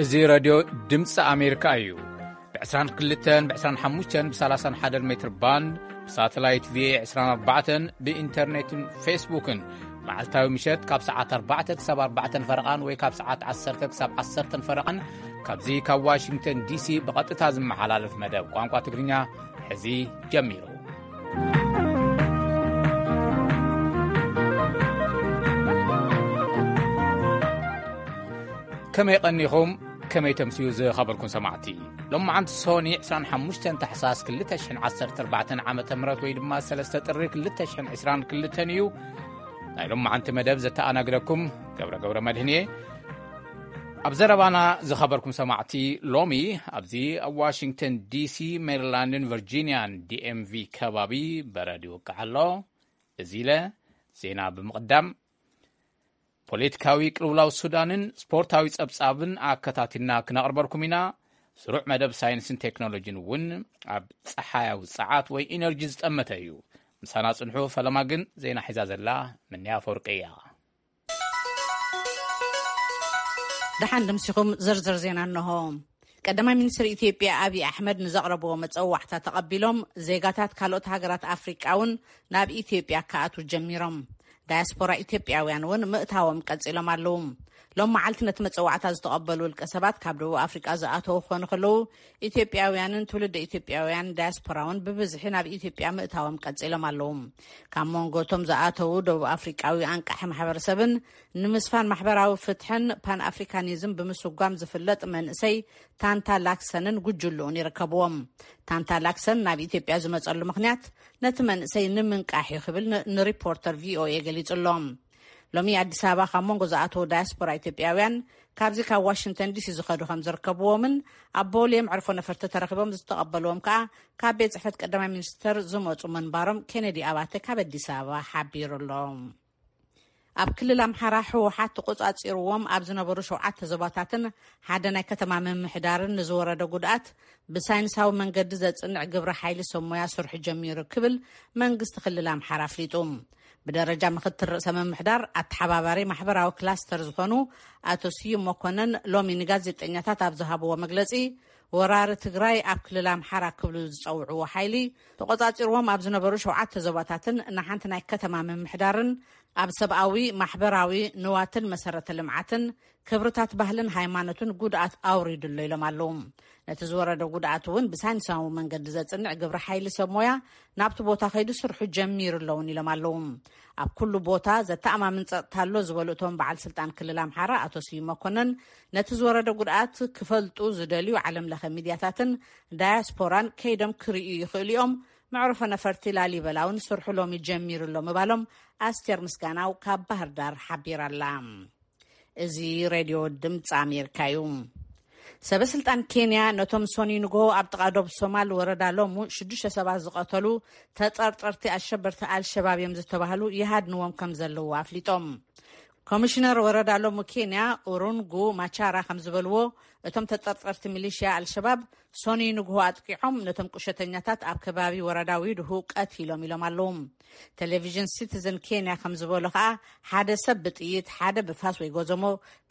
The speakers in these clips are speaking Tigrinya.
እዚ ሬድዮ ድምፂ ኣሜሪካ እዩ። ብ22፣ ብ25፣ ብ31 ሜትር ባንድ፣ ብሳተላይት ቪኤ 24፣ ብኢንተርኔትን ፌስቡክን መዓልታዊ ምሸት ካብ ሰዓት ኣርባዕተ ክሳብ ኣርባዕተን ፈረቓን ወይ ካብ ሰዓት ዓሰርተ ክሳብ ዓሰርተን ፈረቓን ካብዚ ካብ ዋሽንግተን ዲሲ ብቐጥታ ዝመሓላለፍ መደብ ቋንቋ ትግርኛ ሕዚ ጀሚሩ። ከመይ ቀኒኹም? ከመይ ተምስዩ ዝኸበርኩም ሰማዕቲ? ሎማዓንቲ ሶኒ 25 ታሕሳስ 2014 ዓመተ ምህረት ወይ ድማ 3 ጥሪ 2022 እዩ። ናይ ሎማዓንቲ መደብ ዘተኣናግደኩም ገብረ ገብረ መድህን እየ። ኣብ ዘረባና ዝኸበርኩም ሰማዕቲ፣ ሎሚ ኣብዚ ኣብ ዋሽንግተን ዲሲ፣ ሜሪላንድን ቨርጂንያን፣ ዲኤምቪ፣ ከባቢ በረድ ይወቅዕ ኣሎ። እዚ ኢለ ዜና ብምቕዳም፣ ፖለቲካዊ ቅልውላው ሱዳንን ስፖርታዊ ጸብጻብን ኣከታቲልና ክነቕርበልኩም ኢና። ስሩዕ መደብ ሳይንስን ቴክኖሎጂን እውን ኣብ ጸሓያዊ ጸዓት ወይ ኢነርጂ ዝጠመተ እዩ። ምሳና ጽንሑ። ፈለማ ግን ዜና ሒዛ ዘላ ምንያ ኣፈወርቂ እያ። ደሓን ደምሲኹም ዝርዝር ዜና እንሆ። ቀዳማይ ሚኒስትር ኢትዮጵያ ኣብይ ኣሕመድ ንዘቕረብዎ መጸዋዕታ ተቐቢሎም ዜጋታት ካልኦት ሃገራት ኣፍሪቃ እውን ናብ ኢትዮጵያ ክኣትዉ ጀሚሮም። ዳያስፖራ ኢትዮጵያውያን እውን ምእታዎም ቀጺሎም ኣለዉ። ሎም መዓልቲ ነቲ መጸዋዕታ ዝተቐበሉ ውልቀ ሰባት ካብ ደቡብ ኣፍሪቃ ዝኣተዉ ክኾኑ ከለዉ፣ ኢትዮጵያውያንን ትውልደ ኢትዮጵያውያን ዳያስፖራ እውን ብብዝሒ ናብ ኢትዮጵያ ምእታዎም ቀጺሎም ኣለዉ። ካብ መንጎ እቶም ዝኣተዉ ደቡብ ኣፍሪቃዊ ኣንቃሒ ማሕበረሰብን ንምስፋን ማሕበራዊ ፍትሕን ፓን ኣፍሪካኒዝም ብምስጓም ዝፍለጥ መንእሰይ ታንታ ላክሰንን ጉጅልኡን ይርከብዎም። ታንታ ላክሰን ናብ ኢትዮጵያ ዝመጸሉ ምኽንያት ነቲ መንእሰይ ንምንቃሕ እዩ ክብል ን-፣ ንሪፖርተር ቪኦኤ ገሊጹ ኣሎ። ሎሚ ኣዲስ ኣበባ ካብ መንጎ ዝኣተዉ ዳያስፖራ ኢትዮጵያውያን፣ ካብዚ ካብ ዋሽንግተን ዲሲ ዝኸዱ ከም ዝርከብዎምን ኣብ ቦሌ መዕርፎ ነፈርቲ ተረኺቦም ዝተቐበልዎም ከኣ ካብ ቤት ጽሕፈት ቀዳማይ ሚኒስተር ዝመጹ ምንባሮም ኬነዲ ኣባተ ካብ ኣዲስ ኣበባ ሓቢሩ ኣሎ። ኣብ ክልል ኣምሓራ ህወሓት ተቆጻጺርዎም ኣብ ዝነበሩ ሸውዓተ ዞባታትን ሓደ ናይ ከተማ ምምሕዳርን ንዝወረደ ጉድኣት ብሳይንሳዊ መንገዲ ዘጽንዕ ግብረ ሓይሊ ሰብ ሞያ ስርሑ ጀሚሩ ክብል መንግስቲ ክልል ኣምሓራ ኣፍሊጡ። ብደረጃ ምክትል ርእሰ ምምሕዳር ኣተሓባባሪ ማሕበራዊ ክላስተር ዝኾኑ ኣቶ ስዩም መኮነን ሎሚ ንጋዜጠኛታት ኣብ ዝሃብዎ መግለጺ፣ ወራሪ ትግራይ ኣብ ክልል ኣምሓራ ክብሉ ዝጸውዕዎ ሓይሊ ተቆጻጺርዎም ኣብ ዝነበሩ ሸውዓተ ዞባታትን ንሓንቲ ናይ ከተማ ምምሕዳርን ኣብ ሰብኣዊ፣ ማሕበራዊ፣ ንዋትን መሰረተ ልምዓትን ክብርታት ባህልን ሃይማኖትን ጉድኣት ኣውሪዱ ኣሎ ኢሎም ኣለዉ። ነቲ ዝወረደ ጉድኣት እውን ብሳይንሳዊ መንገዲ ዘጽንዕ ግብረ ሓይሊ ሰብ ሞያ ናብቲ ቦታ ከይዱ ስርሑ ጀሚሩ ኣለውን ኢሎም ኣለዉ። ኣብ ኩሉ ቦታ ዘተኣማምን ጸጥታ ኣሎ ዝበሉ እቶም በዓል ስልጣን ክልል ኣምሓራ ኣቶ ስዩም መኮነን፣ ነቲ ዝወረደ ጉድኣት ክፈልጡ ዝደልዩ ዓለም ለኸ ሚድያታትን ዳያስፖራን ከይዶም ክርእዩ ይኽእሉ እዮም። መዕርፎ ነፈርቲ ላሊበላ እውን ስርሑ ሎሚ ጀሚሩ ኣሎ ምባሎም ኣስቴር ምስጋናው ካብ ባህር ዳር ሓቢራ ኣላ። እዚ ሬድዮ ድምፂ ኣሜሪካ እዩ። ሰበ ስልጣን ኬንያ ነቶም ሶኒ ንግሆ ኣብ ጥቓ ዶብ ሶማል ወረዳ ሎሙ ሽዱሽተ ሰባት ዝቐተሉ ተጠርጠርቲ ኣሸበርቲ ኣልሸባብ እዮም ዝተባህሉ ይሃድንዎም ከም ዘለዉ ኣፍሊጦም። ኮሚሽነር ወረዳ ሎሙ ኬንያ ኡሩንጉ ማቻራ ከም ዝበልዎ፣ እቶም ተጠርጠርቲ ሚሊሽያ ኣልሸባብ ሶኒ ንግሆ ኣጥቂዖም ነቶም ቁሸተኛታት ኣብ ከባቢ ወረዳ ዊድሁ ቀቲሎም ኢሎም ኣለዉ። ቴሌቪዥን ሲቲዝን ኬንያ ከም ዝበሎ ከኣ፣ ሓደ ሰብ ብጥይት፣ ሓደ ብፋስ ወይ ጎዘሞ፣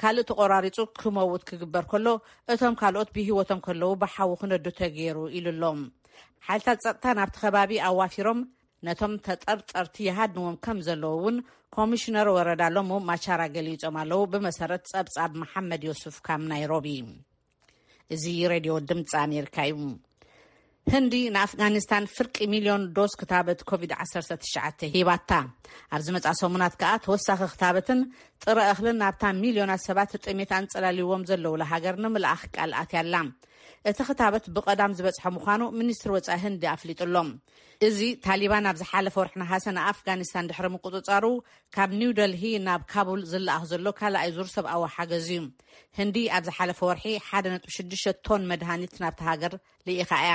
ካልእ ተቆራሪጹ ክመውት ክግበር ከሎ፣ እቶም ካልኦት ብህይወቶም ከለዉ ብሓዊ ክነዱ ተገይሩ ኢሉ ኣሎ። ሓይልታት ጸጥታ ናብቲ ከባቢ ኣዋፊሮም ነቶም ተጠርጠርቲ ይሃድንዎም ከም ዘለዉ እውን ኮሚሽነር ወረዳ ሎሙ ማቻራ ገሊጾም ኣለዉ፣ ብመሰረት ጸብጻብ መሓመድ ዮሱፍ ካብ ናይሮቢ። እዚ ሬድዮ ድምፂ ኣሜሪካ እዩ። ህንዲ ንኣፍጋኒስታን ፍርቂ ሚልዮን ዶስ ክታበት ኮቪድ ዓሰርተ ትሽዓተ ሂባታ። ኣብ ዝመጽኣ ሰሙናት ከኣ ተወሳኺ ክታበትን ጥረ እኽልን ናብታ ሚልዮናት ሰባት ጥሜት ኣንጸላልይዎም ዘለውላ ሃገር ንምልኣኽ ቃል ኣትያ ኣላ። እቲ ክታበት ብቐዳም ዝበጽሐ ምዃኑ ሚኒስትሪ ወጻኢ ህንዲ ኣፍሊጡ ኣሎ። እዚ ታሊባን ኣብ ዝሓለፈ ወርሒ ነሓሰ ንኣፍጋኒስታን ድሕሪ ምቁጽጻሩ፣ ካብ ኒው ደልሂ ናብ ካቡል ዝለኣኽ ዘሎ ካልኣይ ዙር ሰብኣዊ ሓገዝ እዩ። ህንዲ ኣብ ዝሓለፈ ወርሒ ሓደ ነጥቢ ሽዱሽተ ቶን መድሃኒት ናብቲ ሃገር ልኢኻ እያ።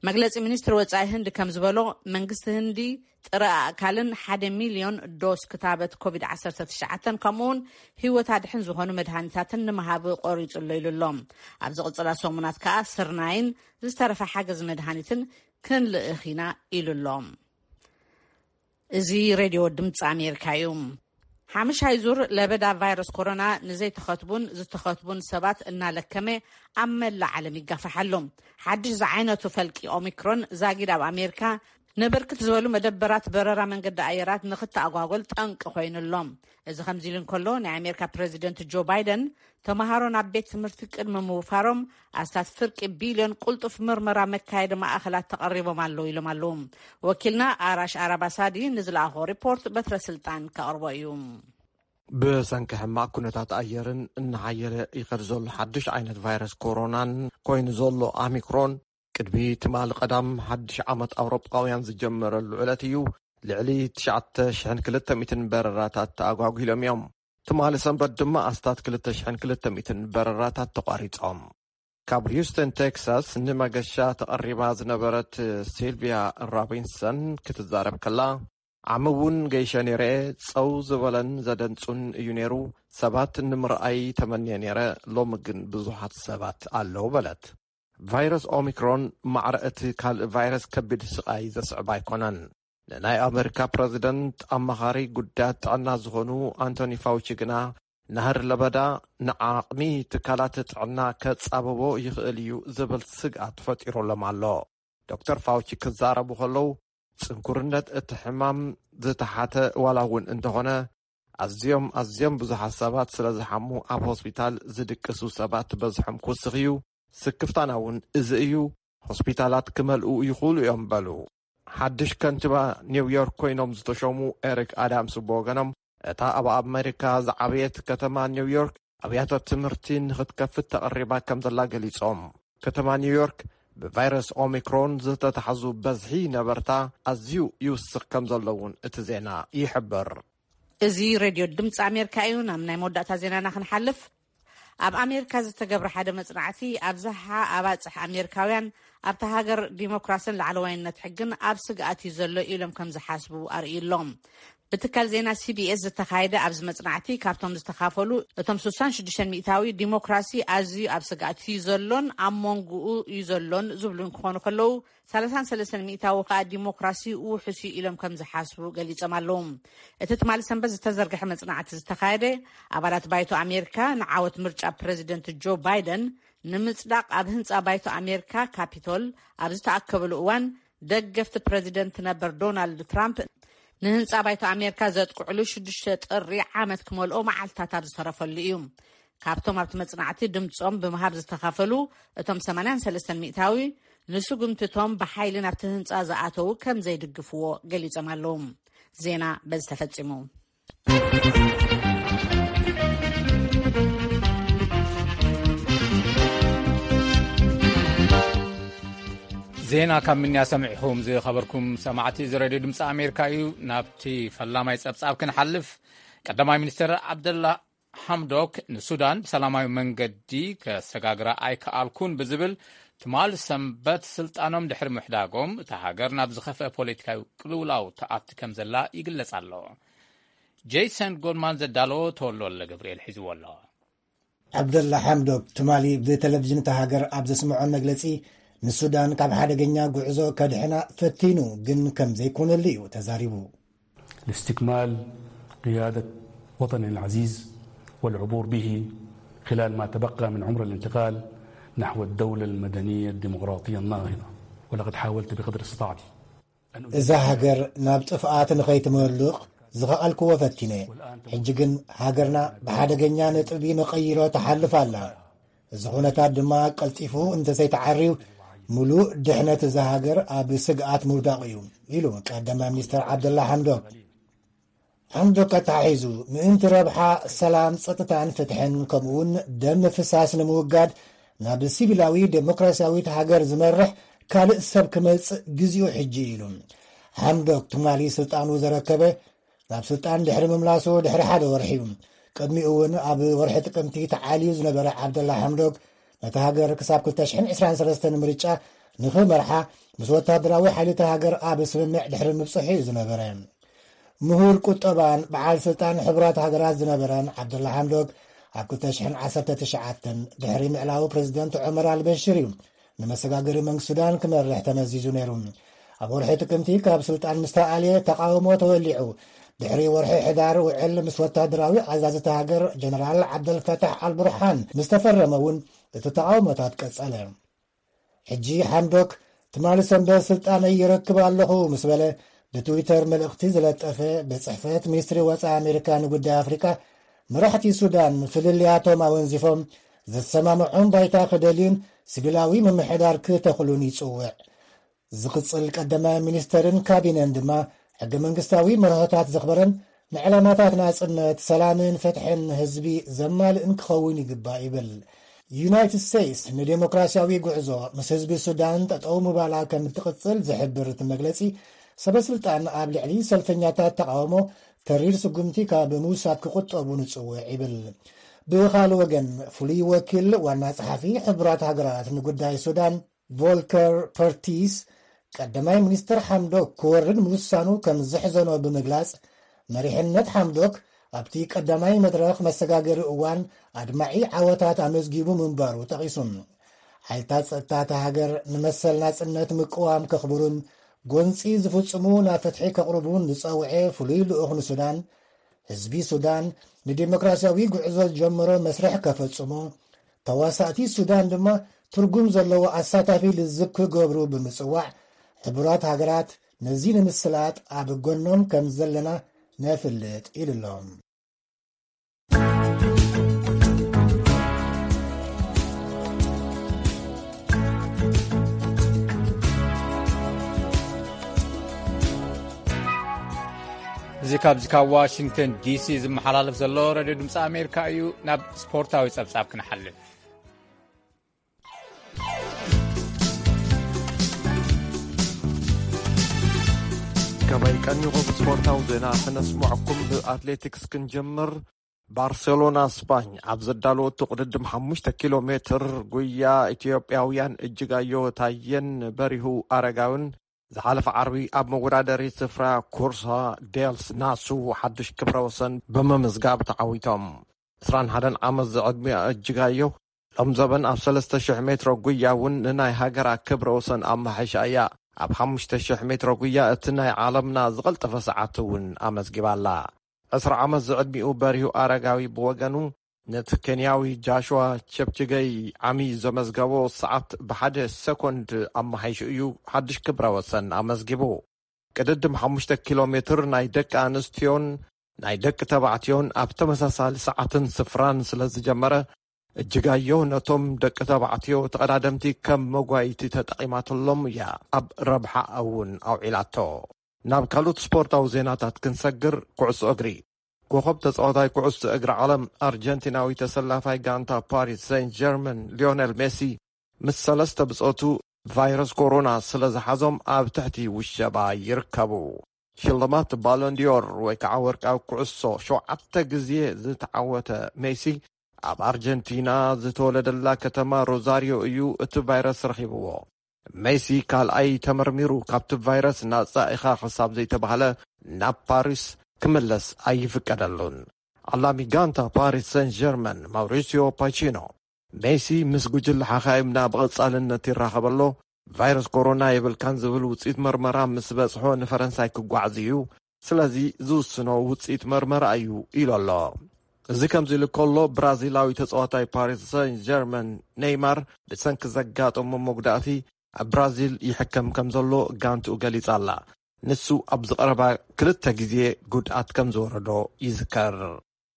መግለጺ ሚኒስትሪ ወጻኢ ህንዲ ከም ዝበሎ፣ መንግስቲ ህንዲ ጥረ ኣእካልን ሓደ ሚልዮን ዶስ ክታበት ኮቪድ ዓሰርተ ትሽዓተ፣ ከምኡውን ህይወት ኣድሕን ዝኾኑ መድሃኒታትን ንምሃብ ቆሪጹ ኣሎ ኢሉ ኣሎ። ኣብ ዝቕጽላ ሰሙናት ከኣ ስርናይን ዝተረፈ ሓገዝ መድሃኒትን ክንልእኽ ኢና ኢሉ ኣሎ። እዚ ሬድዮ ድምፂ ኣሜሪካ እዩ። ሓምሻይ ዙር ለበዳ ቫይረስ ኮሮና ንዘይተኸትቡን ዝተኸትቡን ሰባት እናለከመ ኣብ መላእ ዓለም ይጋፋሕ ኣሎ። ሓድሽ ዝዓይነቱ ፈልቂ ኦሚክሮን ዛጊድ ኣብ ኣሜሪካ ንብርክት ዝበሉ መደበራት በረራ መንገዲ ኣየራት ንክተኣጓጎል ጠንቂ ኮይኑሎም። እዚ ከምዚ ኢሉ እንከሎ፣ ናይ ኣሜሪካ ፕሬዚደንት ጆ ባይደን ተምሃሮ ናብ ቤት ትምህርቲ ቅድሚ ምውፋሮም ኣስታት ፍርቂ ቢልዮን ቁልጡፍ ምርመራ መካየዲ ማእኸላት ተቐሪቦም ኣለዉ ኢሎም ኣለዉ። ወኪልና ኣራሽ ኣራባሳዲ ንዝለኣኾ ሪፖርት በትረ ስልጣን ከቕርቦ እዩ። ብሰንኪ ሕማቕ ኩነታት ኣየርን እናሓየለ ይኸድ ዘሎ ሓድሽ ዓይነት ቫይረስ ኮሮናን ኮይኑ ዘሎ ኣሚክሮን፣ ቅድሚ ትማሊ ቀዳም ሓድሽ ዓመት ኣውሮጳውያን ዝጀመረሉ ዕለት እዩ። ልዕሊ ትሽዓተ ሽሕን ክልተ ሚእትን በረራታት ተኣጓጒሎም እዮም። ትማሊ ሰንበት ድማ ኣስታት ክልተ ሽሕን ክልተ ሚእትን በረራታት ተቋሪጾም። ካብ ሂውስተን ቴክሳስ ንመገሻ ተቐሪባ ዝነበረት ሲልቪያ ሮቢንሰን ክትዛረብ ከላ፣ ዓሚ እውን ገይሸ ነይረ፣ ጸው ዝበለን ዘደንጹን እዩ ነይሩ። ሰባት ንምርኣይ ተመንየ ነይረ፣ ሎሚ ግን ብዙሓት ሰባት ኣለዉ በለት። ቫይረስ ኦሚክሮን ማዕረ እቲ ካልእ ቫይረስ ከቢድ ስቓይ ዘስዕብ ኣይኮነን። ንናይ ኣመሪካ ፕረዚደንት ኣማኻሪ ጉዳያት ጥዕና ዝኾኑ ኣንቶኒ ፋውቺ ግና፣ ናህሪ ለበዳ ንዓቕሚ ትካላት ጥዕና ከጻብቦ ይኽእል እዩ ዝብል ስግኣት ፈጢሩሎም ኣሎ። ዶክተር ፋውቺ ክዛረቡ ከለዉ፣ ጽንኩርነት እቲ ሕማም ዝተሓተ ዋላ እውን እንተኾነ፣ ኣዝዮም ኣዝዮም ብዙሓት ሰባት ስለ ዝሓሙ ኣብ ሆስፒታል ዝድቅሱ ሰባት በዝሖም ክውስኽ እዩ። ስክፍታና እውን እዚ እዩ። ሆስፒታላት ክመልኡ ይኽእሉ እዮም በሉ። ሓድሽ ከንቲባ ኒውዮርክ ኮይኖም ዝተሾሙ ኤሪክ ኣዳምስ ብወገኖም፣ እታ ኣብ ኣመሪካ ዝዓበየት ከተማ ኒውዮርክ ኣብያተ ትምህርቲ ንኽትከፍት ተቐሪባ ከም ዘላ ገሊጾም። ከተማ ኒውዮርክ ብቫይረስ ኦሚክሮን ዝተታሕዙ በዝሒ ነበርታ ኣዝዩ ይውስኽ ከም ዘሎ እውን እቲ ዜና ይሕብር። እዚ ሬድዮ ድምፂ ኣሜሪካ እዩ። ናብ ናይ መወዳእታ ዜናና ክንሓልፍ፣ ኣብ ኣሜሪካ ዝተገብረ ሓደ መጽናዕቲ፣ ኣብዝሓ ኣባጽሕ ኣሜሪካውያን ኣብታ ሃገር ዲሞክራስን ላዕለዋይነት ሕግን ኣብ ስግኣት እዩ ዘሎ ኢሎም ከም ዝሓስቡ ኣርእዩ ኣሎ። ብትካል ዜና ሲቢኤስ ዝተኻየደ ኣብዚ መጽናዕቲ፣ ካብቶም ዝተኻፈሉ፣ እቶም ስሳን ሽዱሽተን ሚእታዊ ዲሞክራሲ ኣዝዩ ኣብ ስግኣት እዩ ዘሎን ኣብ መንጎኡ እዩ ዘሎን ዝብሉ ክኾኑ ከለዉ፣ ሰላሳን ሰለስተን ሚእታዊ ከኣ ዲሞክራሲ ውሑስ እዩ ኢሎም ከም ዝሓስቡ ገሊጾም ኣለዉ። እቲ ትማሊ ሰንበት ዝተዘርግሐ መጽናዕቲ ዝተኻየደ፣ ኣባላት ባይቶ ኣሜሪካ ንዓወት ምርጫ ፕረዚደንት ጆ ባይደን ንምጽዳቕ ኣብ ህንጻ ባይቶ ኣሜሪካ ካፒቶል ኣብ ዝተኣከብሉ እዋን፣ ደገፍቲ ፕረዚደንት ነበር ዶናልድ ትራምፕ ንህንጻ ባይቶ ኣሜሪካ ዘጥቅዕሉ ሽዱሽተ ጥሪ ዓመት ክመልኦ መዓልታት ኣብ ዝተረፈሉ እዩ። ካብቶም ኣብቲ መጽናዕቲ ድምጾም ብምሃብ ዝተኻፈሉ፣ እቶም ሰማንያን ሰለስተን ሚእታዊ ንስጉምትቶም ብሓይሊ ናብቲ ህንጻ ዝኣተዉ ከም ዘይድግፍዎ ገሊጾም ኣለዉ። ዜና በዚ ተፈጺሙ። ዜና ካብ ምንያ ሰሚዕኹም ዝኸበርኩም ሰማዕቲ፣ እዚ ሬድዮ ድምፂ ኣሜሪካ እዩ። ናብቲ ፈላማይ ጸብጻብ ክንሓልፍ፣ ቀዳማይ ሚኒስትር ዓብደላ ሓምዶክ ንሱዳን ብሰላማዊ መንገዲ ከሰጋግራ ኣይከኣልኩን ብዝብል፣ ትማል ሰንበት ስልጣኖም ድሕሪ ምሕዳጎም፣ እታ ሃገር ናብ ዝኸፍአ ፖለቲካዊ ቅልውላው ተኣቲ ከም ዘላ ይግለጽ ኣሎ። ጄይሰን ጎድማን ዘዳለዎ ተወልደ ወልደ ገብርኤል ሒዝዎ ኣሎ። ዓብደላ ሓምዶክ ትማሊ ብቴሌቪዥን እታ ሃገር ኣብ ዘስምዖ መግለጺ፣ ንሱዳን ካብ ሓደገኛ ጉዕዞ ከድሕና ፈቲኑ፣ ግን ከም ዘይኮነሉ እዩ ተዛሪቡ። لاستكمال قيادة وطننا العزيز والعبور به خلال ما تبقى من عمر الانتقال نحو الدولة المدنية الديمقراطية الناهضة، ولقد حاولت بقدر استطاعتي. እዛ ሃገር ናብ ጥፍኣት ንኸይትመልቕ ዝኸኣልክዎ ፈቲነ። ሕጂ ግን ሃገርና ብሓደገኛ ነጥቢ መቐይሮ ትሓልፍ ኣላ። እዚ ኩነታት ድማ ቀልጢፉ እንተዘይተዓርዩ፣ ምሉእ ድሕነት እዛ ሃገር ኣብ ስግኣት ምውዳቕ እዩ፣ ኢሉ ቀዳማይ ሚኒስተር ዓብደላ ሓምዶክ። ሓምዶክ ኣተሓሒዙ፣ ምእንቲ ረብሓ ሰላም፣ ጸጥታን ፍትሕን፣ ከምኡውን ደም ምፍሳስ ንምውጋድ፣ ናብ ሲቪላዊ ዴሞክራሲያዊት ሃገር ዝመርሕ ካልእ ሰብ ክመጽእ ግዜኡ ሕጂ እዩ፣ ኢሉ። ሓምዶክ ትማሊ ስልጣኑ ዘረከበ፣ ናብ ስልጣን ድሕሪ ምምላሱ ድሕሪ ሓደ ወርሒ እዩ። ቅድሚኡ እውን ኣብ ወርሒ ጥቅምቲ ተዓልዩ ዝነበረ ዓብደላ ሓምዶክ፣ ነታ ሃገር ክሳብ ክልተ ሽሕን ዕስራን ሰለስተን ምርጫ ንኽመርሓ፣ ምስ ወታደራዊ ሓይሊ እታ ሃገር ኣብ ስምምዕ ድሕሪ ምብጽሑ እዩ ዝነበረ። ምሁር ቁጠባን በዓል ስልጣን ሕቡራት ሃገራት ዝነበረን ዓብደላ ሓምዶክ፣ ኣብ ክልተ ሽሕን ዓሰርተ ትሽዓተን ድሕሪ ምዕላዉ ፕረዚደንት ዑመር ኣልበሽር እዩ ንመሰጋገሪ መንግስቲ ሱዳን ክመርሕ ተመዚዙ ነይሩ። ኣብ ወርሒ ጥቅምቲ ካብ ስልጣን ምስ ተኣልየ፣ ተቓውሞ ተወሊዑ፣ ድሕሪ ወርሒ ሕዳር ውዕል ምስ ወታደራዊ ኣዛዚ እታ ሃገር ጀነራል ዓብደልፈታሕ ኣልቡርሃን ምስ ተፈረመ እውን እቲ ተቓውሞታት ቀጸለ። ሕጂ ሓምዶክ ትማሊ ሰንበት ስልጣነይ ይረክብ ኣለኹ ምስ በለ ብትዊተር መልእኽቲ ዝለጠፈ ቤት ጽሕፈት ሚኒስትሪ ወጻኢ ኣሜሪካ ንጉዳይ ኣፍሪቃ፣ መራሕቲ ሱዳን ፍልልያቶም ኣወንዚፎም ዘሰማምዖም ባይታ ክደልዩን ሲቪላዊ ምምሕዳር ክተኽሉን ይጽውዕ። ዝቕጽል ቀዳማይ ሚኒስተርን ካቢነን ድማ ሕገ መንግስታዊ መርሆታት ዘኽበረን ንዕላማታት ናጽነት፣ ሰላምን ፍትሕን ህዝቢ ዘማልእን ክኸውን ይግባእ ይብል። ዩናይትድ ስቴትስ ንዴሞክራሲያዊ ጉዕዞ ምስ ህዝቢ ሱዳን ጠጠው ምባላ ከም እትቕጽል ዝሕብር እቲ መግለጺ፣ ሰበ ስልጣን ኣብ ልዕሊ ሰልፈኛታት ተቓውሞ ተሪር ስጉምቲ ካብ ምውሳድ ክቑጠቡ ንጽውዕ ይብል። ብኻልእ ወገን፣ ፍሉይ ወኪል ዋና ጸሓፊ ሕቡራት ሃገራት ንጉዳይ ሱዳን ቮልከር ፐርቲስ፣ ቀዳማይ ሚኒስትር ሓምዶክ ክወርድ ምውሳኑ ከም ዘሕዘኖ ብምግላጽ፣ መሪሕነት ሓምዶክ ኣብቲ ቀዳማይ መድረኽ መሰጋገሪ እዋን ኣድማዒ ዓወታት ኣመዝጊቡ ምንባሩ ጠቒሱ። ሓይልታት ጸጥታ እታ ሃገር ንመሰል ናጽነት ምቅዋም ከኽብሩን ጎንጺ ዝፍጽሙ ናብ ፍትሒ ከቕርቡን ዝጸውዐ ፍሉይ ልኡኽ ንሱዳን፣ ህዝቢ ሱዳን ንዲሞክራሲያዊ ጉዕዞ ዝጀመሮ መስርሕ ከፈጽሙ፣ ተዋሳእቲ ሱዳን ድማ ትርጉም ዘለዎ ኣሳታፊ ልዝብ ክገብሩ ብምጽዋዕ፣ ሕቡራት ሃገራት ነዚ ንምስላጥ ኣብ ጎኖም ከም ዘለና ነፍልጥ ኢሉ ኣሎ። እዚ ካብዚ ካብ ዋሽንግተን ዲሲ ዝመሓላለፍ ዘሎ ሬድዮ ድምፂ ኣሜሪካ እዩ። ናብ ስፖርታዊ ጸብጻብ ክንሓልፍ። ከመይ ቀኒኹም? ስፖርታዊ ዜና ክነስምዐኩም። ብኣትሌቲክስ ክንጀምር። ባርሴሎና ስፓኝ ኣብ ዘዳለወቶ ቅድድም ሓሙሽተ ኪሎ ሜትር ጉያ፣ ኢትዮጵያውያን እጅጋዮ ታየን በሪሁ ኣረጋውን ዝሓለፈ ዓርቢ ኣብ መወዳደሪ ስፍራ ኩርሳ ዴልስ ናሱ ሓድሽ ክብረ ወሰን ብምምዝጋብ ተዓዊቶም። ዕስራን ሓደን ዓመት ዝዕድሚኣ እጅጋዮ ሎም ዘበን ኣብ ሰለስተ ሽሕ ሜትሮ ጉያ እውን ንናይ ሃገራ ክብረ ወሰን ኣመሓይሻ እያ። ኣብ ሓሙሽተ ሽሕ ሜትሮ ጉያ እቲ ናይ ዓለምና ዝቐልጠፈ ሰዓት እውን ኣመዝጊባ ኣላ። ዕስራ ዓመት ዝዕድሚኡ በሪሁ ኣረጋዊ ብወገኑ፣ ነቲ ኬንያዊ ጃሽዋ ቸፕችገይ ዓሚ ዘመዝገቦ ሰዓት ብሓደ ሰኮንድ ኣመሓይሹ እዩ ሓድሽ ክብረ ወሰን ኣመዝጊቡ። ቅድድም ሓሙሽተ ኪሎ ሜትር ናይ ደቂ ኣንስትዮን ናይ ደቂ ተባዕትዮን ኣብ ተመሳሳሊ ሰዓትን ስፍራን ስለ ዝጀመረ፣ እጅጋዮ ነቶም ደቂ ተባዕትዮ ተቐዳደምቲ ከም መጓይቲ ተጠቒማትሎም እያ ኣብ ረብሓ እውን ኣውዒላቶ። ናብ ካልኦት ስፖርታዊ ዜናታት ክንሰግር፣ ኩዕሶ እግሪ። ኮኸብ ተጻዋታይ ኩዕሶ እግሪ ዓለም ኣርጀንቲናዊ ተሰላፋይ ጋንታ ፓሪስ ሴንት ጀርመን ሊዮኔል ሜሲ ምስ ሰለስተ ብጾቱ ቫይረስ ኮሮና ስለ ዝሓዞም ኣብ ትሕቲ ውሸባ ይርከቡ። ሽልማት ባሎንዲዮር ወይ ከዓ ወርቃዊ ኩዕሶ ሸውዓተ ግዜ ዝተዓወተ ሜሲ፣ ኣብ ኣርጀንቲና ዝተወለደላ ከተማ ሮዛሪዮ እዩ እቲ ቫይረስ ረኺብዎ። ሜሲ ካልኣይ ተመርሚሩ ካብቲ ቫይረስ ናጻ ኢኻ ክሳብ ዘይተባህለ ናብ ፓሪስ ክምለስ ኣይፍቀደሉን። ዓላሚ ጋንታ ፓሪስ ሰን ጀርመን ማውሪሲዮ ፓቺኖ፣ ሜሲ ምስ ጉጅለ ሓኻይምና ብቐጻልነት ይራኸብ ኣሎ። ቫይረስ ኮሮና የብልካን ዝብል ውጽኢት መርመራ ምስ በጽሖ ንፈረንሳይ ክጓዓዝ እዩ። ስለዚ ዝውስኖ ውጽኢት መርመራ እዩ ኢሉ ኣሎ። እዚ ከምዚ ኢሉ ከሎ፣ ብራዚላዊ ተጻዋታይ ፓሪስ ሰን ጀርመን ኔይማር ብሰንኪ ዘጋጠሞ መጉዳእቲ ኣብ ብራዚል ይሕከም ከም ዘሎ ጋንትኡ ገሊጻ ኣላ። ንሱ ኣብዚ ቀረባ ክልተ ግዜ ጉድኣት ከም ዝወረዶ ይዝከር።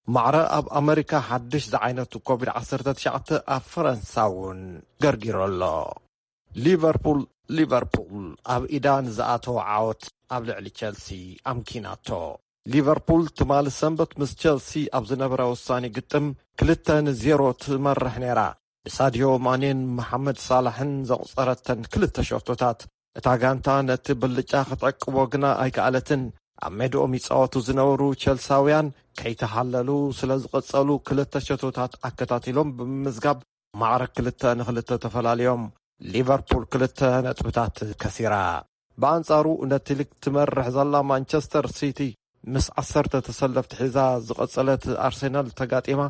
ማዕረ ኣብ ኣመሪካ ሓድሽ ዝዓይነቱ ኮቪድ ዓሰርተ ትሽዓተ ኣብ ፈረንሳ እውን ገርጊሩ ኣሎ። ሊቨርፑል፣ ሊቨርፑል ኣብ ኢዳ ንዝኣተወ ዓወት ኣብ ልዕሊ ቸልሲ ኣምኪናቶ። ሊቨርፑል ትማሊ ሰንበት ምስ ቸልሲ ኣብ ዝነበረ ወሳኒ ግጥም ክልተ ንዜሮ ትመርሕ ነይራ። ብሳድዮ ማኔን መሓመድ ሳላሕን ዘቑጸረተን ክልተ ሸቶታት፣ እታ ጋንታ ነቲ ብልጫ ክትዕቅቦ ግና ኣይከኣለትን። ኣብ ሜድኦም ይጻወቱ ዝነበሩ ቸልሳውያን ከይተሃለሉ ስለ ዝቐጸሉ፣ ክልተ ሸቶታት ኣከታቲሎም ብምምዝጋብ ማዕረ ክልተ ንክልተ ተፈላልዮም። ሊቨርፑል ክልተ ነጥብታት ከሲራ። ብኣንጻሩ ነቲ ሊግ ትመርሕ ዘላ ማንቸስተር ሲቲ ምስ ዓሰርተ ተሰለፍቲ ሒዛ ዝቐጸለት ኣርሴናል ተጋጢማ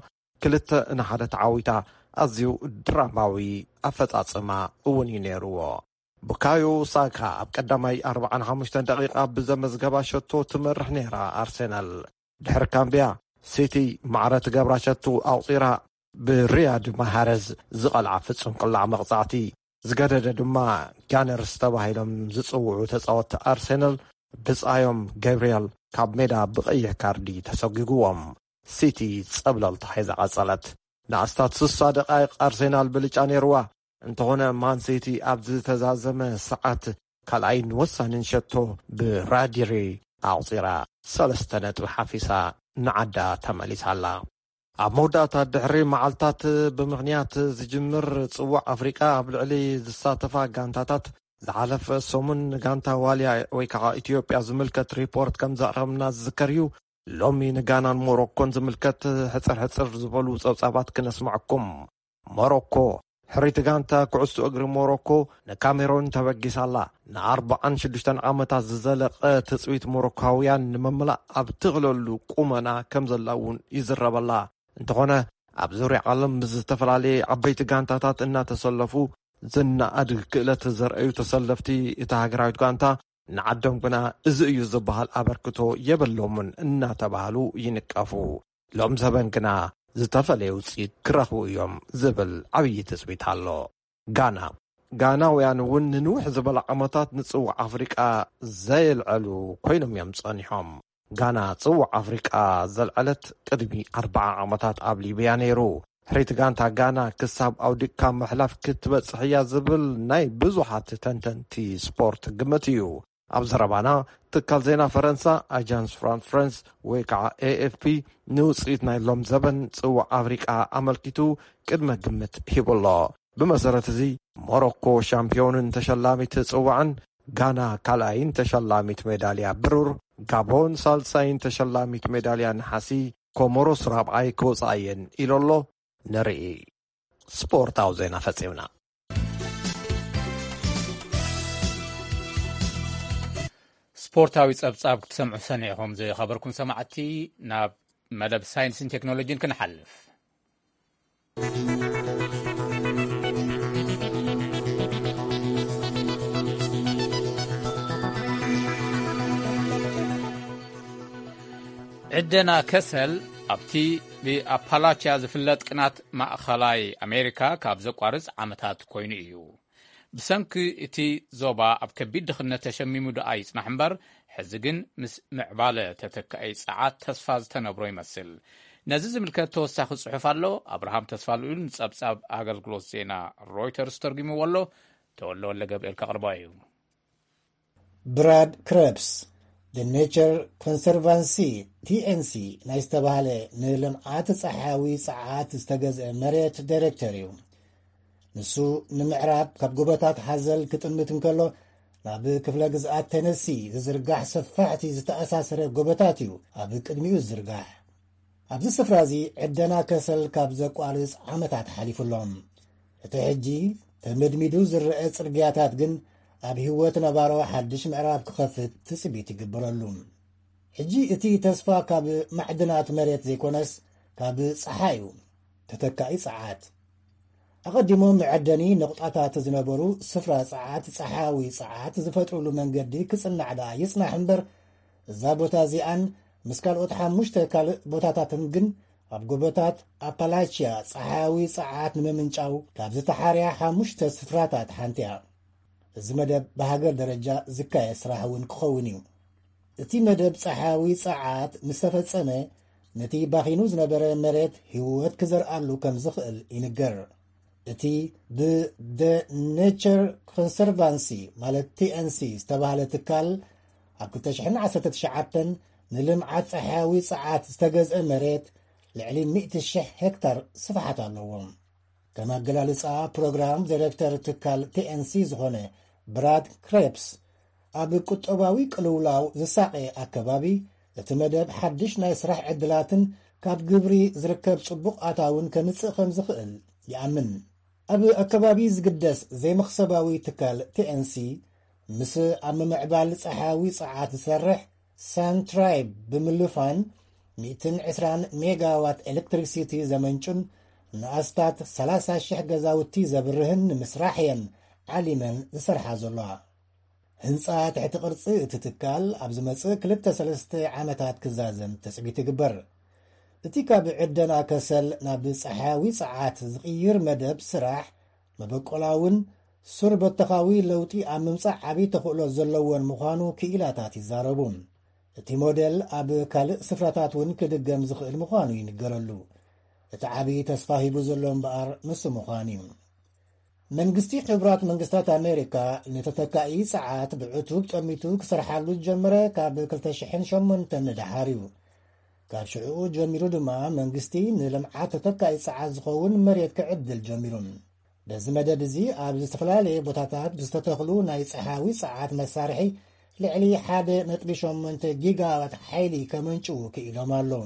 ክልተ ንሓደ ተዓዊታ። ኣዝዩ ድራማዊ ኣፈጻጽማ እውን እዩ ነይርዎ። ቡካዮ ሳካ ኣብ ቀዳማይ ኣርባዓን ሓሙሽተን ደቂቓ ብዘመዝገባ ሸቶ ትመርሕ ነይራ ኣርሴናል። ድሕሪ ካምብያ፣ ሲቲ ማዕረ ትገብራ ሸቶ ኣቑጺራ ብሪያድ ማሃረዝ ዝቐልዓ ፍጹም ቅላዕ መቕጻዕቲ ዝገደደ ድማ ጋነርስ ተባሂሎም ዝጽውዑ ተጻወትቲ ኣርሴናል ብጻዮም ገብርኤል ካብ ሜዳ ብቐይሕ ካርዲ ተሰጒግዎም። ሲቲ ጸብለልታ ሒዛ ቀጸለት። ንኣስታት ስሳ ደቃይቕ ኣርሴናል ብልጫ ነይርዋ። እንተኾነ ማን ሲቲ ኣብ ዝተዛዘመ ሰዓት ካልኣይን ወሳንን ሸቶ ብራዲሪ ኣቑጺራ ሰለስተ ነጥቢ ሓፊሳ ንዓዳ ተመሊሳ ኣላ። ኣብ መወዳእታ ድሕሪ መዓልታት ብምኽንያት ዝጅምር ጽዋዕ ኣፍሪቃ ኣብ ልዕሊ ዝሳተፋ ጋንታታት ዝሓለፈ ሰሙን ንጋንታ ዋልያ ወይ ከዓ ኢትዮጵያ ዝምልከት ሪፖርት ከም ዘቕረብና ዝዝከር እዩ። ሎሚ ንጋናን ሞሮኮን ዝምልከት ሕፅር ሕፅር ዝበሉ ጸብጻባት ክነስማዕኩም። ሞሮኮ፣ ሕሪት ጋንታ ኩዕሶ እግሪ ሞሮኮ ንካሜሮን ተበጊሳላ። ንኣርባዓን ሽዱሽተን ዓመታት ዝዘለቐ ትጽቢት ሞሮካውያን ንምምላእ ኣብ ትኽለሉ ቁመና ከም ዘላ እውን ይዝረበላ። እንተኾነ፣ ኣብ ዙርያ ዓለም ምስ ዝተፈላለየ ዓበይቲ ጋንታታት እናተሰለፉ ዝነኣድ ክእለት ዘርእዩ ተሰለፍቲ እታ ሃገራዊት ጋንታ ንዓዶም ግና እዚ እዩ ዝበሃል ኣበርክቶ የብሎምን እናተባህሉ ይንቀፉ። ሎም ዘበን ግና ዝተፈለየ ውፅኢት ክረኽቡ እዮም ዝብል ዓብዪ ትፅቢት ኣሎ። ጋና፣ ጋናውያን እውን ንንውሕ ዝበለ ዓመታት ንፅዋዕ ኣፍሪቃ ዘየልዐሉ ኮይኖም እዮም ጸኒሖም። ጋና ጽዋዕ ኣፍሪቃ ዘልዐለት ቅድሚ ኣርባዓ ዓመታት ኣብ ሊብያ ነይሩ። ሕሪት ጋንታ ጋና ክሳብ ኣውዲቕካ ምሕላፍ ክትበጽሕ እያ ዝብል ናይ ብዙሓት ተንተንቲ ስፖርት ግምት እዩ። ኣብ ዘረባና፣ ትካል ዜና ፈረንሳ ኣጃንስ ፍራንስ ፍረንስ ወይ ከዓ ኤ ኤፍ ፒ ንውጽኢት ናይ ሎም ዘበን ጽዋዕ ኣፍሪቃ ኣመልኪቱ ቅድመ ግምት ሂቡ ኣሎ። ብመሰረት እዚ፣ ሞሮኮ ሻምፒዮንን ተሸላሚት ጽዋዕን፣ ጋና ካልኣይን ተሸላሚት ሜዳልያ ብሩር፣ ጋቦን ሳልሳይን ተሸላሚት ሜዳልያ ነሓሲ፣ ኮሞሮስ ራብዓይ ክወጻ እየን ኢሉ ኣሎ። ንርኢ። ስፖርታዊ ዜና ፈጺምና። ስፖርታዊ ጸብጻብ ክትሰምዑ ሰኒዕኹም ዝኸበርኩም ሰማዕቲ፣ ናብ መደብ ሳይንስን ቴክኖሎጂን ክንሓልፍ። ዕደና ከሰል ኣብቲ ብኣፓላችያ ዝፍለጥ ቅናት ማእኸላይ ኣሜሪካ ካብ ዘቋርጽ ዓመታት ኮይኑ እዩ። ብሰንኪ እቲ ዞባ ኣብ ከቢድ ድኽነት ተሸሚሙ ደኣ ይጽናሕ እምበር፣ ሕዚ ግን ምስ ምዕባለ ተተካኢ ጸዓት ተስፋ ዝተነብሮ ይመስል። ነዚ ዝምልከት ተወሳኺ ጽሑፍ ኣሎ። ኣብርሃም ተስፋልኡል ንጸብጻብ ኣገልግሎት ዜና ሮይተርስ ተርጉምዎ ኣሎ። ተወልደ ወልደ ገብርኤል ከቕርቦ እዩ። ብራድ ክረብስ፣ The Nature Conservancy፣ ቲ ኤን ሲ፣ ናይ ዝተባህለ ንልምዓት ጸሓያዊ ጸዓት ዝተገዝአ መሬት ዳይሬክተር እዩ። ንሱ ንምዕራብ ካብ ጎቦታት ሃዘል ክጥምት እንከሎ፣ ናብ ክፍለ ግዝኣት ቴነሲ ዝዝርጋሕ ሰፋሕቲ ዝተኣሳሰረ ጎቦታት እዩ ኣብ ቅድሚኡ ዝዝርጋሕ። ኣብዚ ስፍራ እዚ ዕደና ከሰል ካብ ዘቋርጽ ዓመታት ሓሊፉ ኣሎ። እቲ ሕጂ ተመድሚዱ ዝረአ ጽርግያታት ግን ኣብ ህይወት ነባሮ ሓድሽ ምዕራፍ ክኸፍት ትጽቢት ይግበረሉ። ሕጂ እቲ ተስፋ ካብ ማዕድናት መሬት ዘይኮነስ ካብ ጸሓይ እዩ፣ ተተካኢ ጸዓት። ኣቐዲሞም መዐደኒ ነቑጣታት ዝነበሩ ስፍራ ጸዓት፣ ጸሓያዊ ጸዓት ዝፈጥሩሉ መንገዲ ክጽናዕ ደኣ ይጽናሕ እምበር፣ እዛ ቦታ እዚኣን ምስ ካልኦት ሓሙሽተ ካልእ ቦታታትን ግን ኣብ ጎቦታት ኣፓላችያ ጸሓያዊ ጸዓት ንምምንጫው ካብ ዝተሓርያ ሓሙሽተ ስፍራታት ሓንቲ እያ። እዚ መደብ ብሃገር ደረጃ ዝካየድ ስራሕ እውን ክኸውን እዩ። እቲ መደብ ጸሓያዊ ጸዓት ምስ ተፈጸመ፣ ነቲ ባኺኑ ዝነበረ መሬት ህይወት ክዘርኣሉ ከም ዝኽእል ይንገር። እቲ ብ The Nature Conservancy፣ ማለት ቲ ኤን ሲ፣ ዝተባህለ ትካል፣ ኣብ ክልተ ሽሕን ዓሰርተ ትሽዓተን ንልምዓት ጸሓያዊ ጸዓት ዝተገዝአ መሬት ልዕሊ ሚእቲ ሽሕ ሄክታር ስፍሓት ኣለዎ። ከም ኣገላልጻ ፕሮግራም ዳይሬክተር ትካል ቲ ኤን ሲ ዝኾነ ብራድ ክሬፕስ፣ ኣብ ቁጠባዊ ቅልውላው ዝሳቐየ ኣከባቢ፣ እቲ መደብ ሓድሽ ናይ ስራሕ ዕድላትን ካብ ግብሪ ዝርከብ ጽቡቕ ኣታውን ከምጽእ ከም ዝኽእል ይኣምን። ኣብ ኣከባቢ ዝግደስ ዘይመኽሰባዊ ትካል ቲ ኤን ሲ፣ ምስ ኣብ ምምዕባል ጸሓያዊ ጸዓት ዝሰርሕ ሳንትራይብ ብምልፋን፣ ሚእትን ዕስራን ሜጋዋት ኤሌክትሪክሲቲ ዘመንጩን ንኣስታት ሰላሳ ሽሕ ገዛውቲ ዘብርህን ንምስራሕ እየን ዓሊመን ዝሰርሓ ዘለዋ። ህንጻ ትሕቲ ቅርጺ እቲ ትካል ኣብ ዝመጽእ ክልተ ሰለስተ ዓመታት ክዛዘም ትጽቢት ይግበር። እቲ ካብ ዕደና ከሰል ናብ ጸሓያዊ ጸዓት ዝቕይር መደብ ስራሕ መበቆላውን ሱር በተኻዊ ለውጢ ኣብ ምምጻእ ዓቢ ተኽእሎ ዘለዎን ምዃኑ ክኢላታት ይዛረቡ። እቲ ሞዴል ኣብ ካልእ ስፍራታት እውን ክድገም ዝኽእል ምዃኑ ይንገረሉ። እቲ ዓቢ ተስፋ ሂቡ ዘሎ እምበኣር ንሱ ምዃኑ እዩ። መንግስቲ ሕቡራት መንግስታት ኣሜሪካ ንተተካኢ ጸዓት ብዕቱብ ጠሚቱ ክሰርሓሉ ዝጀመረ ካብ ክልተ ሽሕን ሸሞንተን ንደሓር እዩ። ካብ ሽዕኡ ጀሚሩ ድማ መንግስቲ ንልምዓት ተተካኢ ጸዓት ዝኸውን መሬት ክዕድል ጀሚሩ። በዚ መደብ እዚ ኣብ ዝተፈላለየ ቦታታት ብዝተተኽሉ ናይ ጸሓያዊ ጸዓት መሳርሒ ልዕሊ ሓደ ነጥቢ ሸሞንተ ጊጋዋት ሓይሊ ከመንጭዉ ክኢሎም ኣለዉ።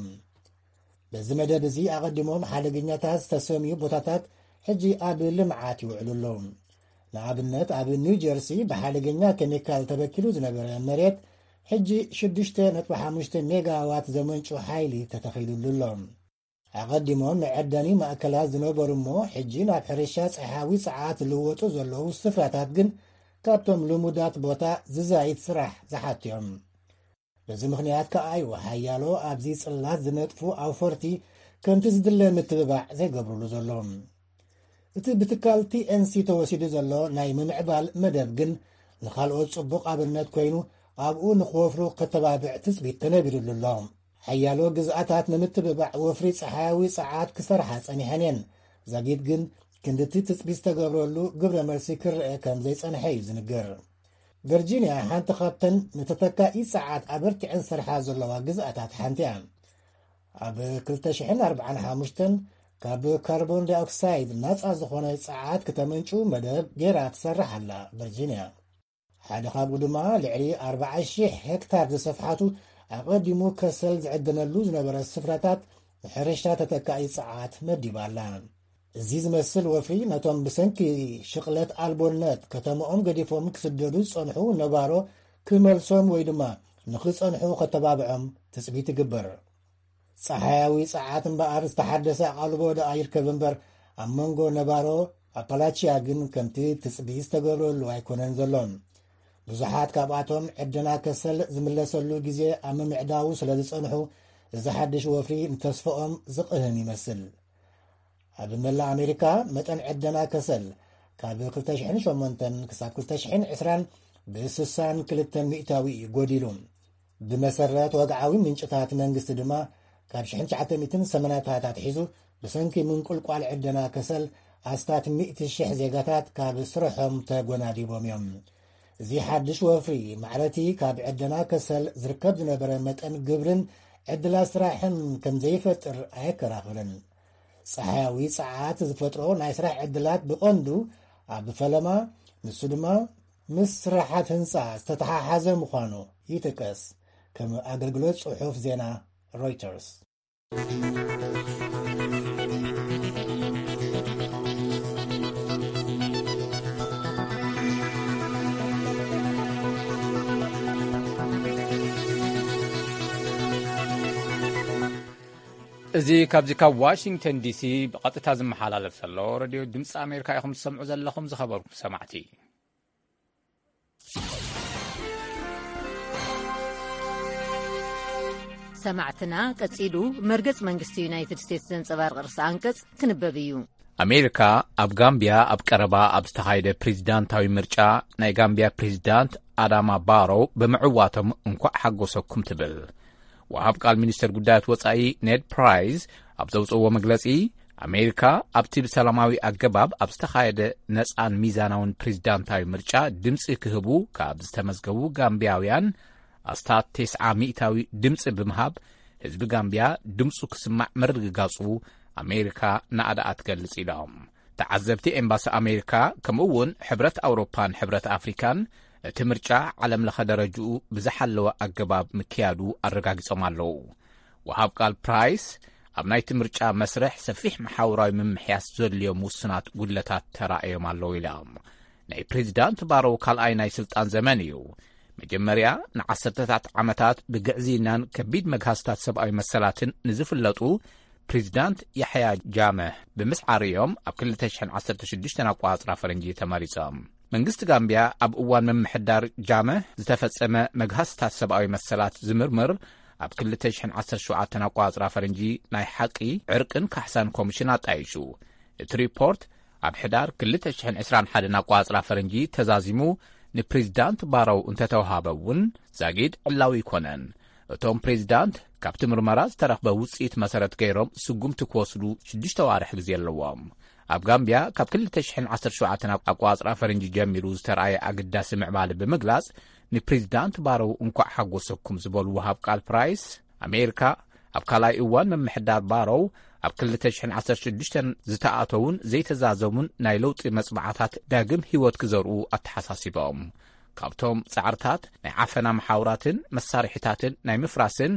በዚ መደብ እዚ ኣቐዲሞም ሓደገኛታት ዝተሰምዩ ቦታታት ሕጂ ኣብ ልምዓት ይውዕሉ ኣለዉ። ንኣብነት ኣብ ኒው ጀርሲ ብሓደገኛ ኬሚካል ተበኪሉ ዝነበረ መሬት ሕጂ ሽዱሽተ ነጥቢ ሓሙሽተ ሜጋዋት ዘመንጩ ሓይሊ ተተኺሉሉ ኣሎ። ኣቐዲሞም መዐደኒ ማእከላት ዝነበሩ እሞ ሕጂ ናብ ሕርሻ ጸሓያዊ ጸዓት ዝልወጡ ዘለዉ ስፍራታት ግን ካብቶም ልሙዳት ቦታ ዝዛይድ ስራሕ ዝሓቱ እዮም። በዚ ምኽንያት ከኣ እዩ ሓያሎ ኣብዚ ጽላት ዝነጥፉ ኣውፈርቲ ከምቲ ዝድለ ምትብባዕ ዘይገብሩሉ ዘሎ። እቲ ብትካል ቲ ኤን ሲ ተወሲዱ ዘሎ ናይ ምምዕባል መደብ ግን ንኻልኦት ጽቡቕ ኣብነት ኮይኑ ኣብኡ ንኽወፍሩ ከተባብዕ ትጽቢት ተነቢሩሉ ኣሎ። ሓያሎ ግዝኣታት ንምትብባዕ ወፍሪ ጸሓያዊ ጸዓት ክሰርሓ ጸኒሐን እየን። ዛጊት ግን ክንድቲ ትጽቢት ዝተገብረሉ ግብረ መልሲ ክረአ ከም ዘይጸንሐ እዩ ዝንገር። ቨርጂንያ ሓንቲ ካብተን ንተተካኢ ጸዓት ኣበርቲዐን ዝሰርሓ ዘለዋ ግዝኣታት ሓንቲ እያ። ኣብ ክልተ ሽሕን ኣርባዓን ሓሙሽተን ካብ ካርቦን ዳይኦክሳይድ ናጻ ዝኾነ ጸዓት ክተመንጩ መደብ ገይራ ትሰርሕ ኣላ ቨርጂንያ። ሓደ ካብኡ ድማ ልዕሊ ኣርባዓ ሺሕ ሄክታር ዝሰፍሓቱ ኣቐዲሙ ከሰል ዝዕደነሉ ዝነበረ ስፍራታት ንሕርሻ ተተካኢ ጸዓት መዲባ ኣላ። እዚ ዝመስል ወፍሪ ነቶም ብሰንኪ ሽቕለት ኣልቦነት ከተማኦም ገዲፎም ክስደዱ ዝጸንሑ ነባሮ ክመልሶም ወይ ድማ ንኽጸንሑ ከተባብዖም ትጽቢት ይግበር። ጸሓያዊ ጸዓት እምበኣር ዝተሓደሰ ኣቓልቦ ደኣ ይርከብ እምበር ኣብ መንጎ ነባሮ ኣፓላቺያ ግን ከምቲ ትጽቢት ዝተገብረሉ ኣይኮነን ዘሎ። ብዙሓት ካብኣቶም ዕደና ከሰል ዝምለሰሉ ግዜ ኣብ ምምዕዳዉ ስለ ዝጸንሑ እዚ ሓድሽ ወፍሪ ንተስፋኦም ዝቕህም ይመስል። ኣብ መላእ ኣሜሪካ መጠን ዕደና ከሰል ካብ ክልተ ሽሕን ሸሞንተን ክሳብ ክልተ ሽሕን ዕስራን ብ ስሳን ክልተን ሚእታዊ እዩ ጎዲሉ። ብመሰረት ወግዓዊ ምንጭታት መንግስቲ ድማ ካብ ሽሕን ትሽዓተ ሚእትን ሰማንያታት ኣትሒዙ ብሰንኪ ምንቁልቋል ዕደና ከሰል ኣስታት ሚእቲ ሽሕ ዜጋታት ካብ ስርሖም ተጎናዲቦም እዮም። እዚ ሓድሽ ወፍሪ ማዕረቲ ካብ ዕደና ከሰል ዝርከብ ዝነበረ መጠን ግብርን ዕድላት ስራሕን ከም ዘይፈጥር ኣየከራኽርን። ጸሓያዊ ጸዓት ዝፈጥሮ ናይ ስራሕ ዕድላት ብቐንዱ ኣብ ፈለማ፣ ንሱ ድማ ምስ ስራሓት ህንጻ ዝተተሓሓዘ ምዃኑ ይጥቀስ። ከም ኣገልግሎት ጽሑፍ ዜና ሮይተርስ። እዚ ካብዚ ካብ ዋሽንግተን ዲሲ ብቐጥታ ዝመሓላለፍ ዘሎ ሬድዮ ድምፂ ኣሜሪካ ኢኹም ትሰምዑ ዘለኹም፣ ዝኸበርኩም ሰማዕቲ። ሰማዕትና፣ ቀጺሉ መርገጽ መንግስቲ ዩናይትድ ስቴትስ ዘንጸባርቕ ርእሰ ኣንቀጽ ክንበብ እዩ። ኣሜሪካ ኣብ ጋምቢያ ኣብ ቀረባ ኣብ ዝተኻየደ ፕሬዚዳንታዊ ምርጫ ናይ ጋምቢያ ፕሬዚዳንት ኣዳማ ባሮ ብምዕዋቶም እንኳዕ ሓጎሰኩም ትብል። ወሃብ ቃል ሚኒስተር ጉዳያት ወጻኢ ኔድ ፕራይስ ኣብ ዘውጽእዎ መግለጺ፣ ኣሜሪካ ኣብቲ ብሰላማዊ ኣገባብ ኣብ ዝተኻየደ ነጻን ሚዛናውን ፕሬዚዳንታዊ ምርጫ ድምጺ ክህቡ ካብ ዝተመዝገቡ ጋምቢያውያን ኣስታት ተስዓ ሚእታዊ ድምጺ ብምሃብ ህዝቢ ጋምቢያ ድምጹ ክስማዕ ምርግጋጹ ኣሜሪካ ናእዳኣ ትገልጽ ኢሎም። ተዓዘብቲ ኤምባሲ ኣሜሪካ ከምኡ እውን ሕብረት ኣውሮፓን ሕብረት ኣፍሪካን እቲ ምርጫ ዓለም ለኸ ደረጅኡ ብዝሓለወ ኣገባብ ምክያዱ ኣረጋጊጾም ኣለዉ። ወሃብ ቃል ፕራይስ ኣብ ናይቲ ምርጫ መስርሕ ሰፊሕ መሓውራዊ ምምሕያስ ዘድልዮም ውሱናት ጉድለታት ተራእዮም ኣለዉ ኢሎም። ናይ ፕሬዚዳንት ባሮ ካልኣይ ናይ ስልጣን ዘመን እዩ። መጀመርያ ንዓሰርተታት ዓመታት ብግዕዝይናን ከቢድ መግሃስታት ሰብኣዊ መሰላትን ንዝፍለጡ ፕሬዚዳንት ያሕያ ጃመህ ብምስዓር እዮም ኣብ ክልተ ሽሕን ዓሰርተ ሽዱሽተን ኣቆጻጽራ ፈረንጂ ተመሪጾም። መንግስቲ ጋምብያ ኣብ እዋን ምምሕዳር ጃመ ዝተፈጸመ መግሃስታት ሰብኣዊ መሰላት ዝምርምር ኣብ ክልተ ሽሕን ዓሰርተ ሸውዓተን ኣቋጽራ ፈረንጂ ናይ ሓቂ ዕርቅን ካሕሳን ኮሚሽን ኣጣይሹ። እቲ ሪፖርት ኣብ ሕዳር ክልተ ሽሕን ዕስራን ሓደን ኣቋጽራ ፈረንጂ ተዛዚሙ ንፕሬዚዳንት ባረው እንተተዋሃበ እውን ዛጊድ ዕላዊ ኣይኮነን። እቶም ፕሬዚዳንት ካብቲ ምርመራ ዝተረኽበ ውጽኢት መሰረት ገይሮም ስጉምቲ ክወስዱ ሽዱሽተ ዋርሕ ግዜ ኣለዎም። ኣብ ጋምብያ ካብ ክልተ ሽሕን ዓሰርተ ሸውዓተን ኣቋጽራ ፈረንጂ ጀሚሩ ዝተረኣየ ኣገዳሲ ምዕባለ ብምግላጽ ንፕሬዚዳንት ባረው እንኳዕ ሓጎሰኩም ዝበሉ ወሃብ ቃል ፕራይስ ኣሜሪካ ኣብ ካልኣይ እዋን ምምሕዳር ባረው ኣብ ክልተ ሽሕን ዓሰርተ ሽዱሽተን ዝተኣተዉን ዘይተዛዘሙን ናይ ለውጢ መጽባዕታት ዳግም ህይወት ክዘርኡ ኣተሓሳሲቦም። ካብቶም ጻዕርታት ናይ ዓፈና መሓውራትን መሳርሒታትን ናይ ምፍራስን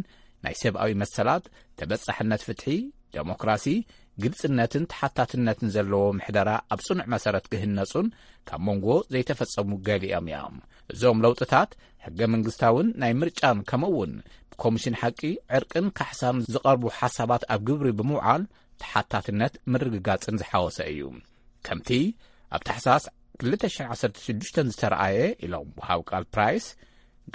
ናይ ሰብኣዊ መሰላት፣ ተበጻሕነት ፍትሒ፣ ደሞክራሲ፣ ግልጽነትን ተሓታትነትን ዘለዎ ምሕደራ ኣብ ጽኑዕ መሰረት ክህነጹን ካብ መንጎ ዘይተፈጸሙ ገሊኦም እዮም። እዞም ለውጥታት ሕገ መንግስታውን ናይ ምርጫን ከምኡ እውን ብኮሚሽን ሓቂ፣ ዕርቅን ካሕሳን ዝቐርቡ ሓሳባት ኣብ ግብሪ ብምውዓል ተሓታትነት ምርግጋጽን ዝሓወሰ እዩ። ከምቲ ኣብ ታሕሳስ ክልተ ሽሕን ዓሰርተ ሽዱሽተን ዝተረኣየ ኢሎም ወሃብ ቃል ፕራይስ፣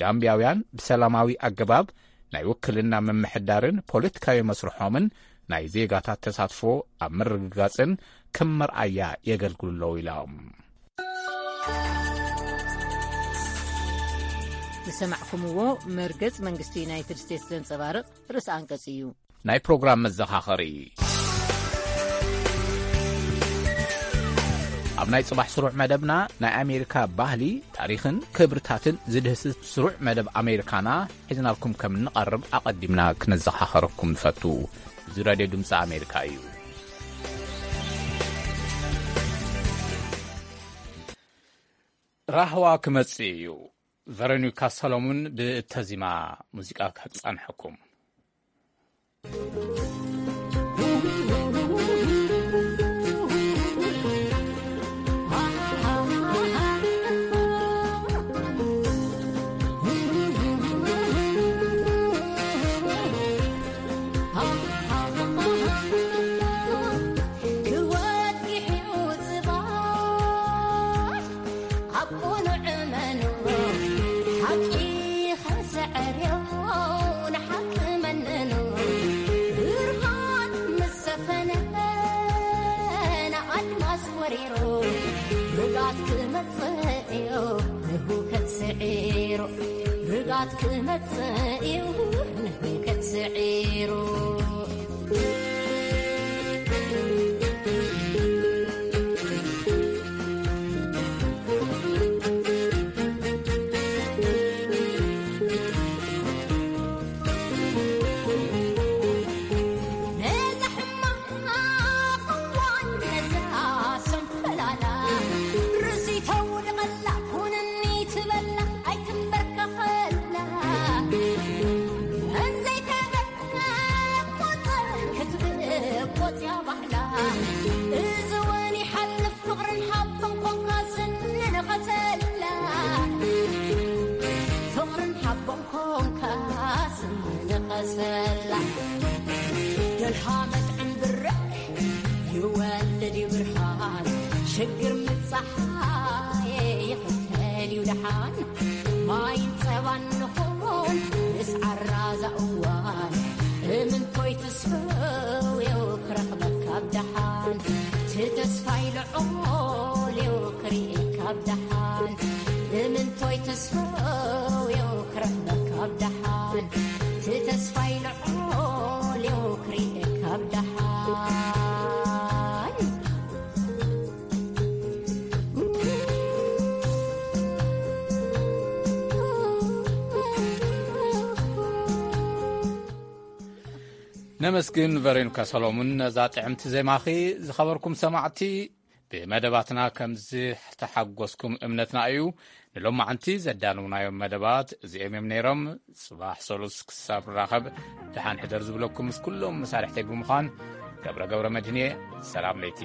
ጋምብያውያን ብሰላማዊ ኣገባብ ናይ ውክልና ምምሕዳርን ፖለቲካዊ መስርሖምን ናይ ዜጋታት ተሳትፎ ኣብ ምርግጋጽን ከም መርኣያ የገልግሉ ኣለዉ ኢሎም። ዝሰማዕኩምዎ መርገጽ መንግስቲ ዩናይትድ ስቴትስ ዘንጸባርቕ ርእሲ ኣንቀጽ እዩ። ናይ ፕሮግራም መዘኻኸሪ። ኣብ ናይ ጽባሕ ስሩዕ መደብና ናይ ኣሜሪካ ባህሊ፣ ታሪኽን ክብርታትን ዝድህስስ ስሩዕ መደብ ኣሜሪካና ሒዝናልኩም ከም እንቐርብ ኣቐዲምና ክነዘኻኸረኩም ንፈቱ። እዚ ራድዮ ድምፂ ኣሜሪካ እዩ። ራህዋ ክመጽእ እዩ። ቨሮኒካ ሰሎሙን ብእተዚማ ሙዚቃ ከጻንሐኩም። ክወድቕ እዩ ጽባሕ ኣብ ቅኑዕ እመኑ፣ ሓቂ ከሰዕርዮ ንሓቂ መነኑ። ብርሃን ምስ ሰፈነ ንኣድማስ ወሪሩ፣ ርግኣት ክመጽእ እዩ ንህውከት ስዒሩ። ርግኣት ክመጽእ እዩ ንህውከት ስዒሩ። ነዛ ሕማቕ እዋን ነዛ ሰንፈላላ ርእሲ ተውድቐላ፣ ኩንኒ ትበላ ኣይትንበርከኸላ። እንዘይተበቆጸ ክትብቆጽ እያ ባህላ። እዚ እውን ይሓልፍ ፍቕርን ሓቦን ኮንካ ስኒ ንኸሰላ። ፍቕርን ሓቦን ኮንካ ስኒ ንኸሰላ። ደልሃመት ዕምብረ ይወልድ እዩ ብርሃን። ሽግር ምብጻሕ ይኽተል እዩ ደሓን። ማይን ጸባን ንኹን ምስ ዓራዛ እዋን። እምንቶይ ትስፈው እዩ ክረኽበካ ኣብ ደሓን። ትተስፋይ ልዑል እዩ ክርእየካ ኣብ ደሓን። እምንቶይ ትስፈው እዩ ክረኽበካ ኣብ ደሓን። ትተስፋይ ልዑል እዩ ክርእየካ ኣብ ደሓን። ነመስግን ቨሮኒካ ሰሎሙን ነዛ ጥዕምቲ ዜማኺ። ዝኸበርኩም ሰማዕቲ፣ ብመደባትና ከም ዝተሓጎስኩም እምነትና እዩ። ንሎማዓንቲ ዘዳለውናዮም መደባት እዚኦም እዮም ነይሮም። ጽባሕ ሰሉስ ክሳብ ንራኸብ፣ ደሓን ሕደር ዝብለኩም ምስ ኩሎም መሳርሕተይ ብምዃን፣ ገብረ ገብረ መድህን እየ። ሰላም ለይቲ።